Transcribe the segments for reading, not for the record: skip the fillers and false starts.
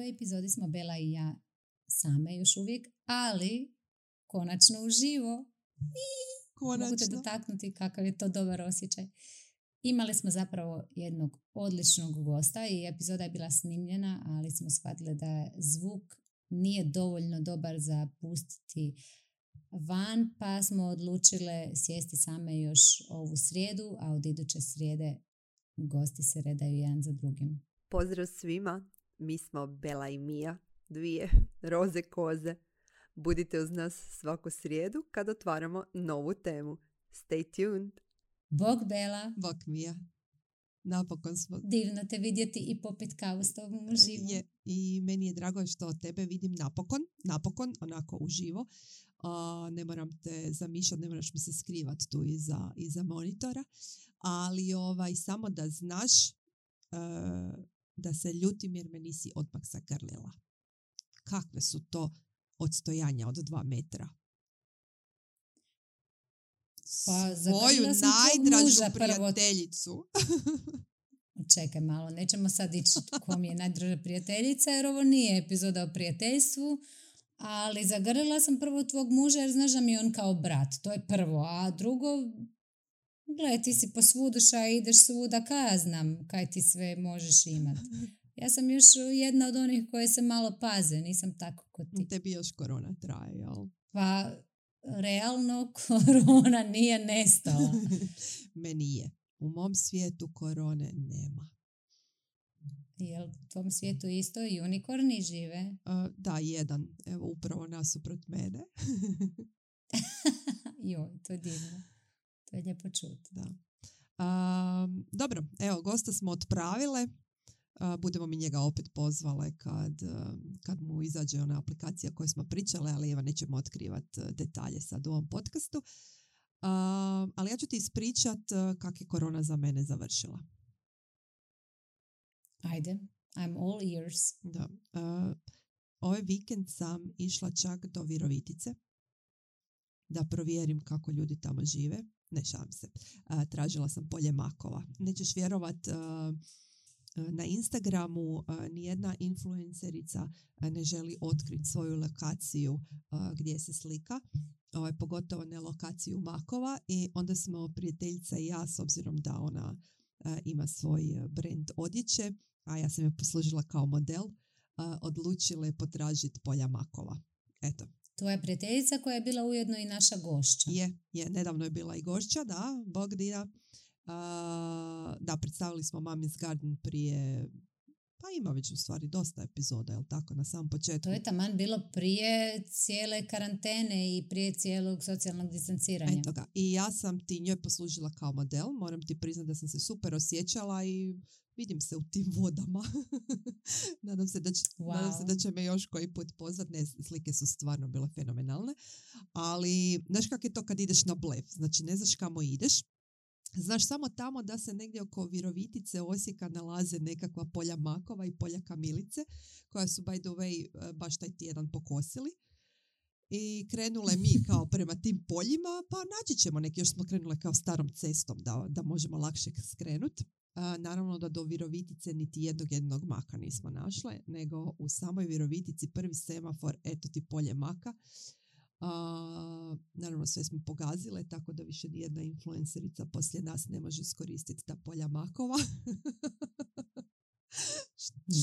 ovoj epizodi smo Bela i ja same još uvijek, ali konačno uživo. Mogu te dotaknuti kakav je to dobar osjećaj. Imali smo zapravo jednog odličnog gosta i epizoda je bila snimljena, ali smo shvatili da zvuk nije dovoljno dobar za pustiti van, pa smo odlučile sjesti same još ovu srijedu, a od iduće srijede gosti se redaju jedan za drugim. Pozdrav svima, mi smo Bela i Mija, dvije roze koze. Budite uz nas svaku srijedu kad otvaramo novu temu. Stay tuned! Bog Bela. Bog Mija. Napokon smo... Divno te vidjeti i popit kavu s tobom uživo. I meni je drago što tebe vidim napokon, onako uživo. Ne moram te zamišljati, ne moraš mi se skrivati tu iza monitora. Ali samo da znaš da se ljutim jer me nisi odmah zagrlila. Kakve su to odstojanja od 2 metra? Pa, svoju najdražu prijateljicu. Čekaj malo, nećemo sad ići ko mi je najdraža prijateljica, jer ovo nije epizoda o prijateljstvu, ali zagrlila sam prvo tvog muža jer znaš da mi je on kao brat, to je prvo, a drugo, gledaj, ti si po svuduša i ideš svuda, kaj ja znam kaj ti sve možeš imati. Ja sam još jedna od onih koje se malo paze, nisam tako kod ti. Tebi još korona traje, jel? Pa, realno korona nije nestala. Meni je. U mom svijetu korone nema. Jel u tom svijetu isto unikorni žive? Da, jedan. Evo, upravo nasuprot mene. Joj, to je divno. To je lijepo čuti. Da. Dobro, evo, gosta smo otpravile. Budemo mi njega opet pozvale kad mu izađe ona aplikacija koju smo pričale, ali evo nećemo otkrivati detalje sad u ovom podcastu. Ali ja ću ti ispričat kak je korona za mene završila. Ajde, I'm all ears. Da. Ovaj vikend sam išla čak do Virovitice da provjerim kako ljudi tamo žive. Ne, šalim se. Tražila sam polje makova. Nećeš vjerovat, na Instagramu nijedna influencerica ne želi otkriti svoju lokaciju gdje se slika, pogotovo ne lokaciju makova, i onda smo prijateljica i ja, s obzirom da ona ima svoj brand odjeće, a ja sam je poslužila kao model, odlučile potražiti polja makova. Eto. Tvoja prijateljica koja je bila ujedno i naša gošća. Je, nedavno je bila i gošća, da, Bog dira. Da, predstavili smo Mommy's Garden prije, pa ima već u stvari dosta epizoda, jel tako, na samom početku. To je taman bilo prije cijele karantene i prije cijelog socijalnog distanciranja. Eto ga. I ja sam ti njoj poslužila kao model, moram ti priznati da sam se super osjećala i vidim se u tim vodama. Nadam se da će me još koji put pozvat. Ne, slike su stvarno bile fenomenalne. Ali, znaš kako je to kad ideš na blef? Znači, ne znaš kamo ideš. Znaš samo tamo da se negdje oko Virovitice, Osijeka nalaze nekakva polja makova i polja kamilice, koja su, by the way, baš taj tjedan pokosili. I krenule mi kao prema tim poljima, pa naći ćemo neki, još smo krenule kao starom cestom da možemo lakše skrenuti. Naravno da do Virovitice niti jednog maka nismo našle, nego u samoj Virovitici prvi semafor, eto ti polje maka. Naravno sve smo pogazile, tako da više nijedna influencerica poslije nas ne može iskoristiti ta polja makova.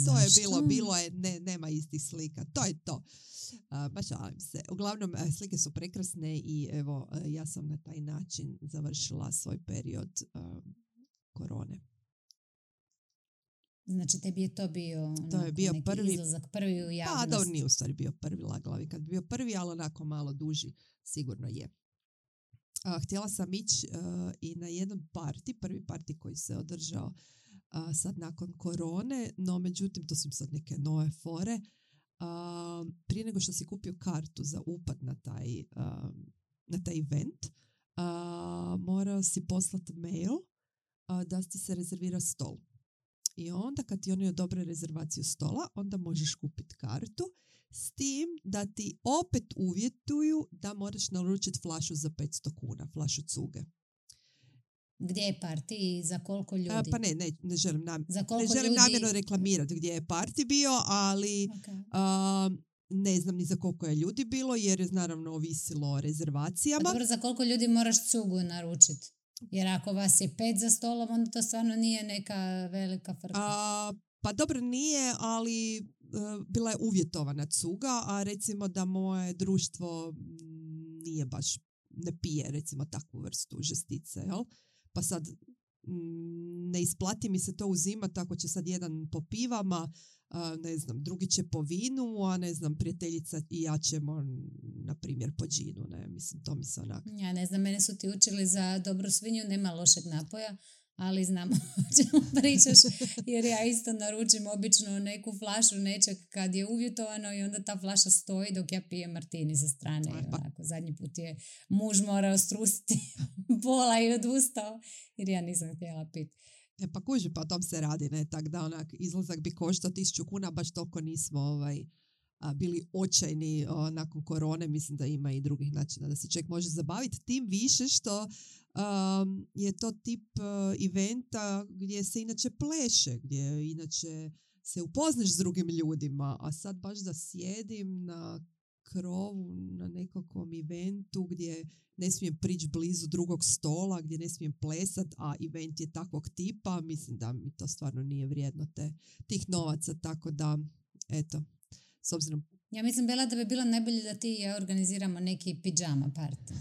Što je bilo je, nema istih slika, to je to. Baš šalim se. Uglavnom, slike su prekrasne i evo, ja sam na taj način završila svoj period korone. Znači, tebi je to bio, to je bio prvi izlazak, prvi u javnost. Pa, dobro, nije u stvari bio prvi laglavi. Kad bi bio prvi, ali onako malo duži, sigurno je. Htjela sam ići i na jedan prvi parti koji se održao sad nakon korone, no međutim, to su im sad neke nove fore. Prije nego što si kupio kartu za upad na taj event, morao si poslati mail da ti se rezervira stol. I onda kad ti oni odobre rezervaciju stola, onda možeš kupiti kartu, s tim da ti opet uvjetuju da moraš naručiti flašu za 500 kuna, flašu cuge. Gdje je party i za koliko ljudi? Pa ne želim, ne želim namjerno reklamirati gdje je party bio, ali ne znam ni za koliko je ljudi bilo, jer je naravno ovisilo o rezervacijama. Pa dobro, za koliko ljudi moraš cugu naručiti? Jer ako vas je 5 za stolom, onda to stvarno nije neka velika frka. Pa dobro, nije, ali bila je uvjetovana cuga, a recimo da moje društvo nije baš, ne pije recimo takvu vrstu žestice, jel? Pa sad ne isplati mi se to uzimati ako će sad jedan po pivama, ne znam, drugi će po vinu, a ne znam, prijateljica i ja ćemo, na primjer, po džinu, ne, mislim, to mi se onak. Ja ne znam, mene su ti učili za dobru svinju, nema lošeg napoja, ali znamo o čemu pričaš, jer ja isto naručim obično neku flašu nečeg kad je uvjetovano i onda ta flaša stoji dok ja pijem martini sa strane. Onako, zadnji put je muž morao strusiti pola i odustao, jer ja nisam htjela piti. Pa kuži, pa o tom se radi, ne, tak da onak izlazak bi koštao 1.000 kuna, baš toliko nismo bili očajni nakon korone, mislim da ima i drugih načina da se čovjek može zabaviti, tim više što je to tip eventa gdje se inače pleše, gdje inače se upoznaš s drugim ljudima, a sad baš da sjedim na krovu na nekakvom eventu gdje ne smijem prići blizu drugog stola, gdje ne smijem plesat, a event je takvog tipa, mislim da mi to stvarno nije vrijedno tih novaca, tako da, eto, s obzirom... Ja mislim, Bela, da bi bilo najbolje da ti i ja organiziramo neki pidžama party.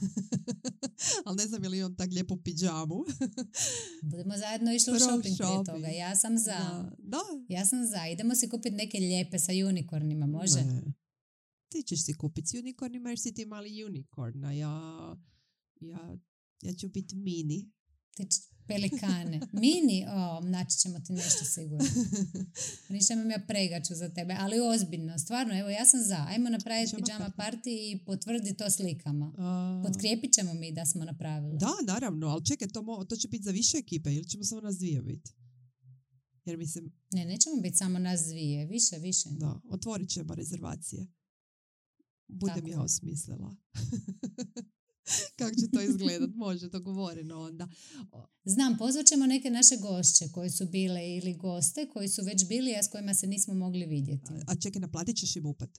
Ali ne znam je li on tak lijepo pidžamu. Budemo zajedno išli u shopping prije toga. Ja sam za. Da. Ja sam za. Idemo si kupiti neke lijepe sa unicornima, može? Ne. Ti ćeš si kupiti s unicornima jer si ti mali unicorn, a ja ću biti mini. Pelikane. Mini? Naći ćemo ti nešto sigurno. Ništa imam ja pregaču za tebe, ali ozbiljno. Stvarno, evo ja sam za. Ajmo napraviti pijama party i potvrdi to slikama. Potkrijepit ćemo mi da smo napravili. Da, naravno, ali čekaj, to će biti za više ekipe ili ćemo samo nas dvije biti? Jer mislim... Ne, nećemo biti samo nas dvije. Više. Da, otvorit ćemo rezervacije. Budem ja osmislila. Kako će to izgledat? Može, dogovoreno onda. Znam, pozvat ćemo neke naše gošće koje su bile ili goste koji su već bili, a s kojima se nismo mogli vidjeti. A čekaj, naplatit ćeš im upat?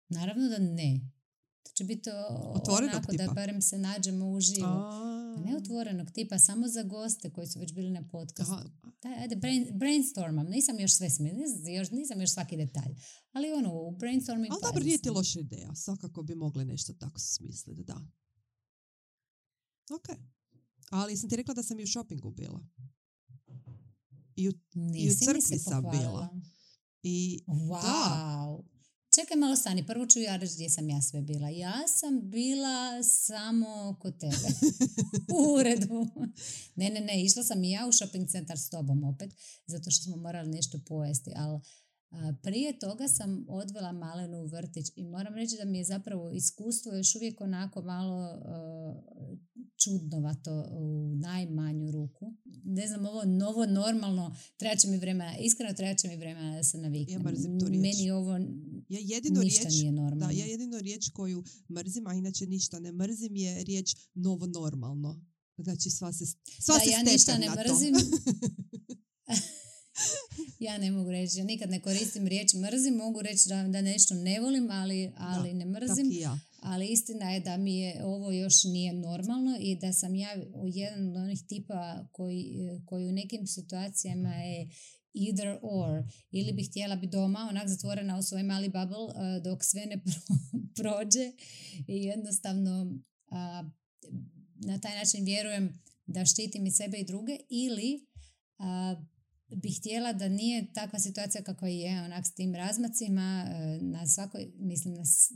Naravno da ne. To će biti onako tipa. Da barem se nađemo uživo. Ne otvorenog tipa, samo za goste koji su već bili na podcastu. Ajde, brainstormam. Nisam još sve nisam još svaki detalj. Ali u brainstorming... Ali dobro, nije ti loša ideja. Svakako bi mogli nešto tako smisliti, da. Ok. Ali sam ti rekla da sam i u shoppingu bila. I u crkvi sam bila. Wow. Da. Čekaj malo, stani, prvo ću ja reći gdje sam ja sve bila. Ja sam bila samo kod tebe. U uredu. Ne, išla sam i ja u shopping centar s tobom opet, zato što smo morali nešto pojesti, ali prije toga sam odvela Malenu u vrtić i moram reći da mi je zapravo iskustvo još uvijek onako malo čudnovato u najmanju ruku. Ne znam, ovo novo, normalno, treba će mi vremena da se naviknem. Ja mrzim tu riječ. Meni ovo ništa nije normalno. Da, ja jedino riječ koju mrzim, a inače ništa ne mrzim, je riječ novo normalno. Znači sva se ja ništa ne mrzim. Ja ne mogu reći, ja nikad ne koristim riječ mrzim, mogu reći da nešto ne volim, ali ne mrzim. Ja. Ali istina je da mi je ovo još nije normalno i da sam ja jedan od onih tipa koji u nekim situacijama je either or. Ili bih htjela biti doma, onak zatvorena u svoj mali bubble dok sve ne prođe i jednostavno na taj način vjerujem da štitim i sebe i druge, ili bih htjela da nije takva situacija kakva je, onak s tim razmacima,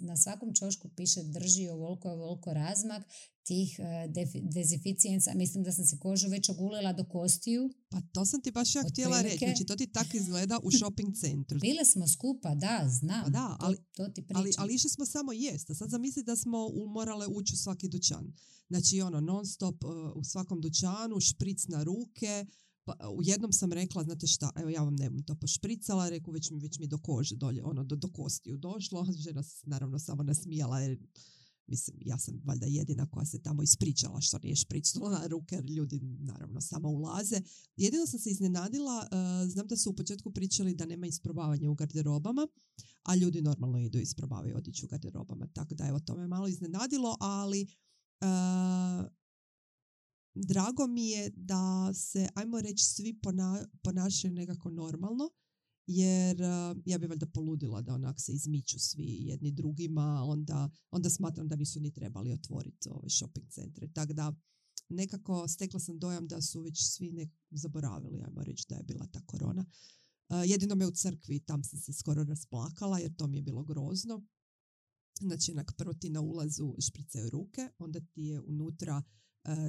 na svakom čošku piše drži ovoliko razmak tih dezinficijensa. Mislim da sam se kožu već ogulila do kostiju. Pa to sam ti baš ja htjela reći. Znači to ti tako izgleda u shopping centru. Bile smo skupa, da, znam. Pa da, to ti pričam. Ali išli smo samo jest. A sad zamisli da smo morale ući u svaki dućan. Znači non stop u svakom dućanu, špric na ruke. Pa, u jednom sam rekla, znate šta, evo ja vam ne bom to pošpricala, rekao već mi do kože dolje, do kostiju došlo. Žena se naravno samo nasmijala jer Mislim, ja sam valjda jedina koja se tamo ispričala što nije špricnula na ruke, jer ljudi naravno samo ulaze. Jedino sam se iznenadila, znam da su u početku pričali da nema isprobavanja u garderobama, a ljudi normalno idu i isprobavaju otići u garderobama. Tako da evo, to me malo iznenadilo, ali drago mi je da se, ajmo reći, svi ponašaju nekako normalno, jer ja bi valjda poludila da onak se izmiču svi jedni drugima, onda smatram da nisu ni trebali otvoriti ove shopping centre. Tako da nekako stekla sam dojam da su već svi zaboravili, ajmo reći, da je bila ta korona. Jedino me u crkvi, tam sam se skoro rasplakala jer to mi je bilo grozno. Znači, prvo ti na ulazu špricaju ruke, onda ti je unutra,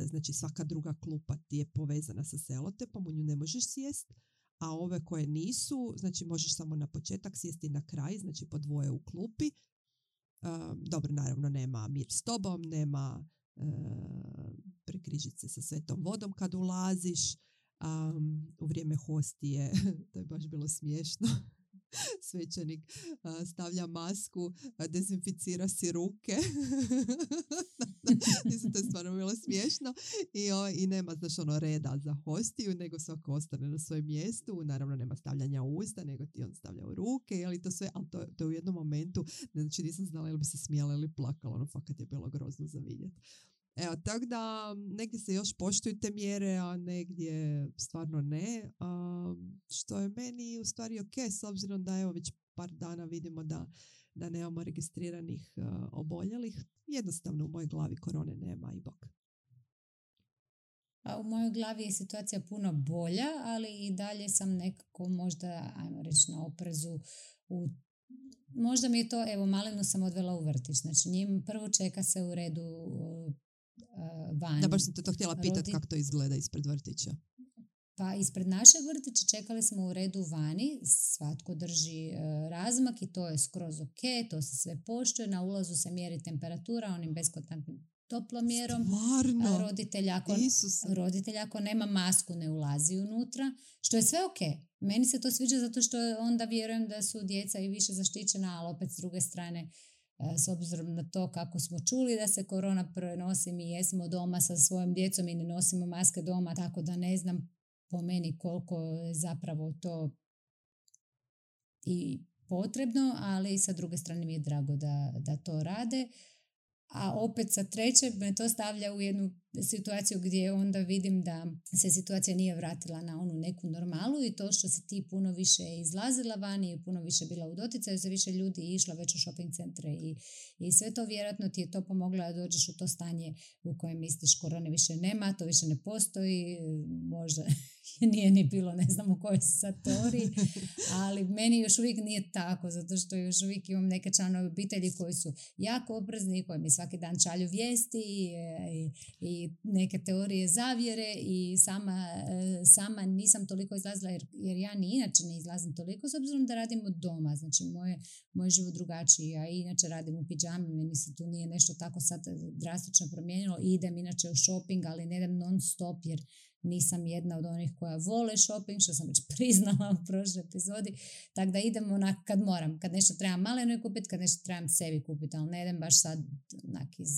znači svaka druga klupa ti je povezana sa selotepom, u nju ne možeš sjest, a ove koje nisu, znači možeš samo na početak sjesti na kraj, znači po dvoje u klupi. Dobro, naravno nema mir s tobom, nema prekrižice sa svetom vodom kad ulaziš. U vrijeme hostije, to je baš bilo smiješno, svećenik stavlja masku, dezinficira si ruke. Mislim, to je stvarno bilo smiješno. I nema, znaš, reda za hostiju, nego svako ostane na svojem mjestu. Naravno, nema stavljanja u usta, nego ti on stavlja u ruke. Ali to sve, ali to u jednom momentu, znači nisam znala ili bi se smijala ili plakala. Fakat je bilo grozno za vidjeti. Evo, tako da negdje se još poštuju te mjere, a negdje stvarno ne. Što je meni u stvari ok, s obzirom da evo već par dana vidimo da nemamo registriranih oboljelih. Jednostavno u mojoj glavi korone nema i bok. A u mojoj glavi je situacija puno bolja, ali i dalje sam nekako možda, ajmo reći, na oprezu možda mi je to, evo, malenu sam odvela u vrtić. Znači, njim prvo čeka se u redu vani. Da, baš sam te to htjela pitati kako to izgleda ispred vrtića. Pa ispred našeg vrtića čekali smo u redu vani, svatko drži razmak i to je skroz ok, to se sve poštuje, na ulazu se mjeri temperatura onim beskontaktnim toplomjerom. Stvarno? Roditelj ako nema masku ne ulazi unutra, što je sve ok. Meni se to sviđa zato što onda vjerujem da su djeca i više zaštićena, ali opet s druge strane, s obzirom na to kako smo čuli da se korona prenosi, mi jesmo doma sa svojom djecom i ne nosimo maske doma, tako da ne znam po meni koliko je zapravo to i potrebno, ali sa druge strane mi je drago da to rade. A opet sa treće me to stavlja u jednu situaciju gdje onda vidim da se situacija nije vratila na onu neku normalu i to što se ti puno više izlazila vani i puno više bila u doticaju, se više ljudi išla već u shopping centre i sve to vjerojatno ti je to pomoglo da dođeš u to stanje u kojem misliš korone više nema, to više ne postoji, možda nije ni bilo, ne znam u kojoj se sad teoriji, ali meni još uvijek nije tako, zato što još uvijek imam neke članove obitelji koji su jako oprezni, koji mi svaki dan šalju vijesti i neke teorije zavjere i sama nisam toliko izlazila jer ja ni inače ne izlazim toliko s obzirom da radim od doma, znači moj život drugačiji, ja inače radim u pidžami, meni se tu nije nešto tako sad drastično promijenilo, idem inače u shopping, ali ne idem non stop jer nisam jedna od onih koja vole shopping, što sam već priznala u prošloj epizodi, tako da idem onak kad moram, kad nešto trebam maleno kupiti, kad nešto trebam sebi kupiti, ali ne idem baš sad onak iz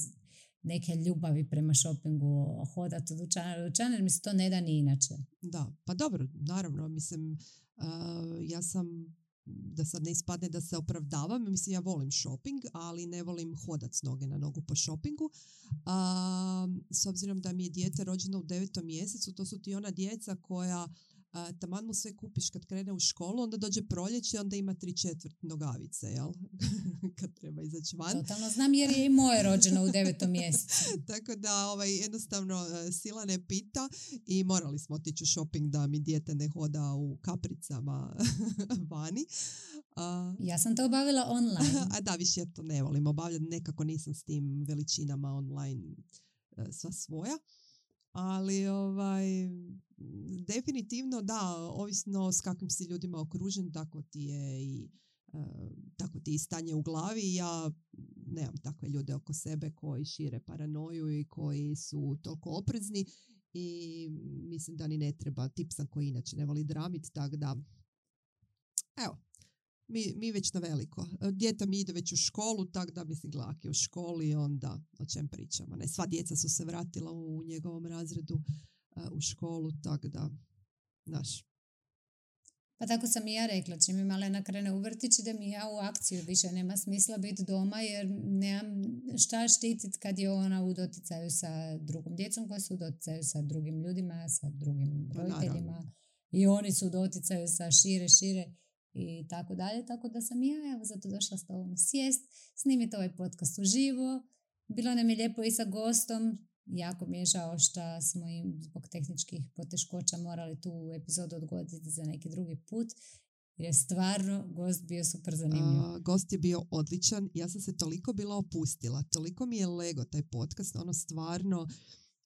neke ljubavi prema shoppingu hodati od dućana do dućana, jer mi se to ne da ni inače. Da, pa dobro, naravno, mislim, ja sam, da sad ne ispadne da se opravdavam, mislim, ja volim shopping, ali ne volim hodat s noge na nogu po shoppingu. S obzirom da mi je dijete rođeno u 9. mjesecu, to su ti ona djeca koja taman mu sve kupiš kad krene u školu, onda dođe proljeće, onda ima 3/4 nogavice, jel? Kad treba izaći van. Totalno znam jer je i moje rođeno u 9. mjesecu. Tako da jednostavno sila ne pita i morali smo otići u shopping da mi dijete ne hoda u kapricama vani. Ja sam to obavila online. A da, više ja to ne volim obavljati, nekako nisam s tim veličinama online sva svoja. Ali definitivno da, ovisno s kakvim si ljudima okružen, tako ti je i stanje u glavi. Ja nemam takve ljude oko sebe koji šire paranoju i koji su toliko oprezni i mislim da ni ne treba. Tip sam koji inače ne voli dramit, tako da evo, Mi već na veliko. Dijete mi ide već u školu, tako da mislim Glak je u školi, onda o čem pričamo. Ne, sva djeca su se vratila u njegovom razredu u školu, tako da, znaš. Pa tako sam i ja rekla, čim mi Malena krene u vrtić, da mi ja u akciju, više nema smisla biti doma jer nemam šta štititi kad je ona u doticaju sa drugom djecom koja su u doticaju sa drugim ljudima, sa drugim roditeljima i oni su u doticaju sa šire i tako dalje. Tako da sam ja evo zato došla s tobom sjest, snimiti ovaj podcast uživo. Bilo nam je lijepo i sa gostom. Jako mi je žao što smo im zbog tehničkih poteškoća morali tu epizodu odgoditi za neki drugi put. Jer je stvarno gost bio super zanimljiv. Gost je bio odličan. Ja sam se toliko bila opustila. Toliko mi je lego taj podcast. Ono stvarno,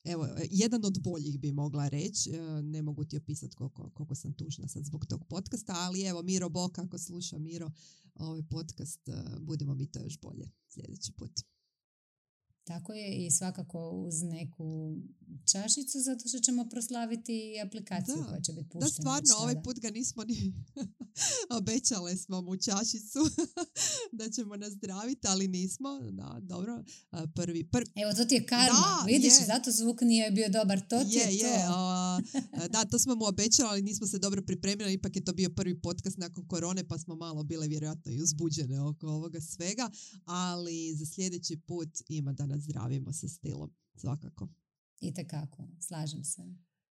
evo, jedan od boljih bi mogla reći. Ne mogu ti opisati koliko sam tužna sad zbog tog podcasta. Ali evo, Miro Bok, ako sluša Miro ovaj podcast, budemo mi to još bolje sljedeći put. Tako je i svakako uz neku čašicu zato što ćemo proslaviti aplikaciju koja će biti puštena. Da, stvarno, ovaj put ga nismo ni obećale smo mu čašicu da ćemo nazdraviti, ali nismo. Da, dobro. Prvi. Evo, to ti je karma. Da, vidiš, zato zvuk nije bio dobar. To ti je to. Da, to smo mu obećali, ali nismo se dobro pripremili. Ipak je to bio prvi podcast nakon korone, pa smo malo bile vjerojatno i uzbuđene oko ovoga svega. Ali za sljedeći put ima da nas zdravimo sa stilom, svakako. Itekako, slažem se.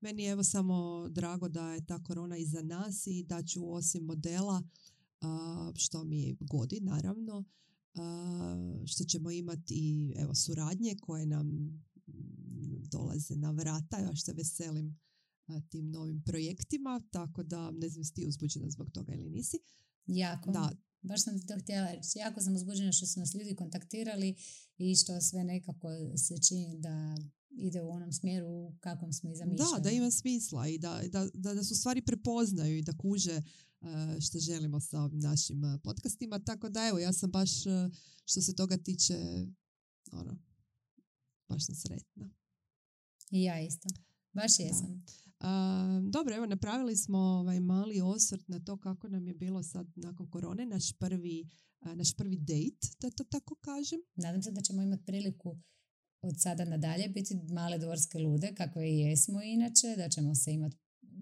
Meni je evo samo drago da je ta korona iza nas i da ću osim modela, što mi godi naravno, što ćemo imati i evo suradnje koje nam dolaze na vrata. Ja se veselim tim novim projektima, tako da ne znam si ti uzbuđena zbog toga ili nisi. Jako. Da. Baš sam ti to htjela reći. Jako sam uzbuđena što su nas ljudi kontaktirali i što sve nekako se čini da ide u onom smjeru u kakvom smo i zamišljali. Da ima smisla i da su stvari prepoznaju i da kuže što želimo sa ovim našim podcastima. Tako da evo, ja sam baš što se toga tiče baš sam sretna. I ja isto. Baš jesam. Dobro, evo napravili smo mali osvrt na to kako nam je bilo sad nakon korone, naš prvi date, da to tako kažem. Nadam se da ćemo imati priliku od sada nadalje biti male dvorske lude, kakve i jesmo inače,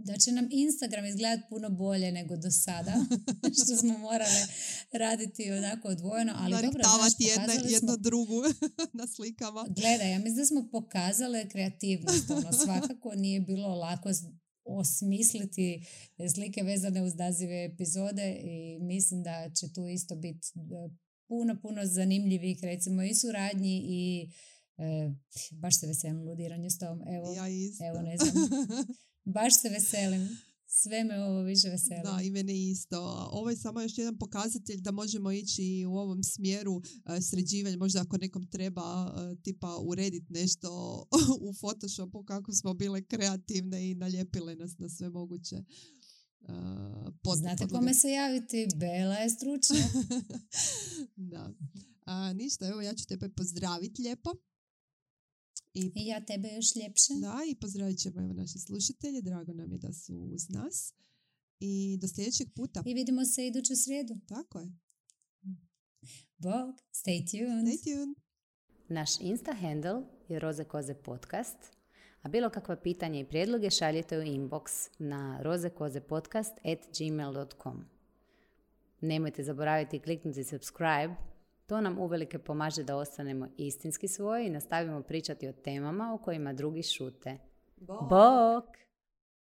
da će nam Instagram izgledati puno bolje nego do sada, što smo morale raditi onako odvojeno, ali dobro, jedno drugu na slikama. Gledaj, ja mislim da smo pokazale kreativnost, svakako nije bilo lako osmisliti slike vezane uz nazive epizode i mislim da će tu isto biti puno zanimljivih, recimo i suradnji i baš se veselim ludiranju s tom. Evo ne znam. Baš se veselim. Sve me ovo više veseli. Da, i mene isto. Ovo je samo još jedan pokazatelj da možemo ići u ovom smjeru sređivanja. Možda ako nekom treba tipa urediti nešto u Photoshopu kako smo bile kreativne i nalijepile nas na sve moguće. Znate kome se javiti? Bela je stručna. Da. Ništa, evo ja ću tebe pozdraviti lijepo. I ja tebe još ljepše. Da, i pozdravit ćemo evo naše slušatelje. Drago nam je da su uz nas. I do sljedećeg puta. I vidimo se iduću srijedu. Tako je. Bog, stay tuned. Stay tuned. Naš Insta handle je Roze Koze podcast, a bilo kakva pitanja i prijedloge šaljite u inbox na rozekozepodcast@gmail.com. Nemojte zaboraviti kliknuti subscribe. To nam uvelike pomaže da ostanemo istinski svoji i nastavimo pričati o temama o kojima drugi šute. Bog!